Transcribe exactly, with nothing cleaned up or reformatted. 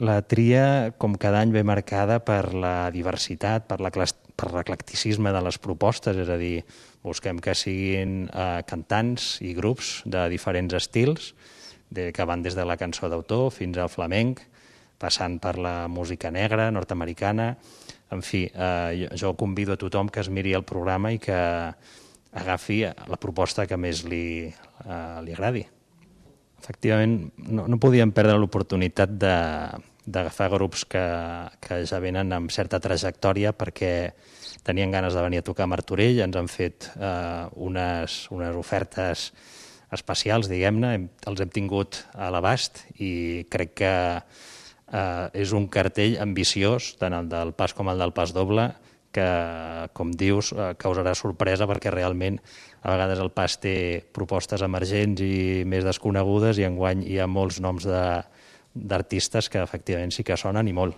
la tria, com cada any, ve marcada per la diversitat, per l'eclecticisme de les propostes, és a dir, busquem que siguin eh, cantants i grups de diferents estils, de, que van des de la cançó d'autor fins al flamenc, passant per la música negra, nord-americana. En fi, eh, jo, jo convido a tothom que es miri el programa i que agafi la proposta que més li, eh, li agradi. Efectivament, no, no podíem perdre l'oportunitat d'agafar grups que, que ja venen amb certa trajectòria perquè tenien ganes de venir a tocar a Martorell, ens han fet eh, unes, unes ofertes especials, diguem-ne, els hem tingut a l'abast i crec que eh, és un cartell ambiciós, tant el del pas com el del pas doble, que, com dius, eh, causarà sorpresa perquè realment a vegades el pas té propostes emergents i més desconegudes i enguany hi ha molts noms d'artistes que efectivament sí que sonen i molt.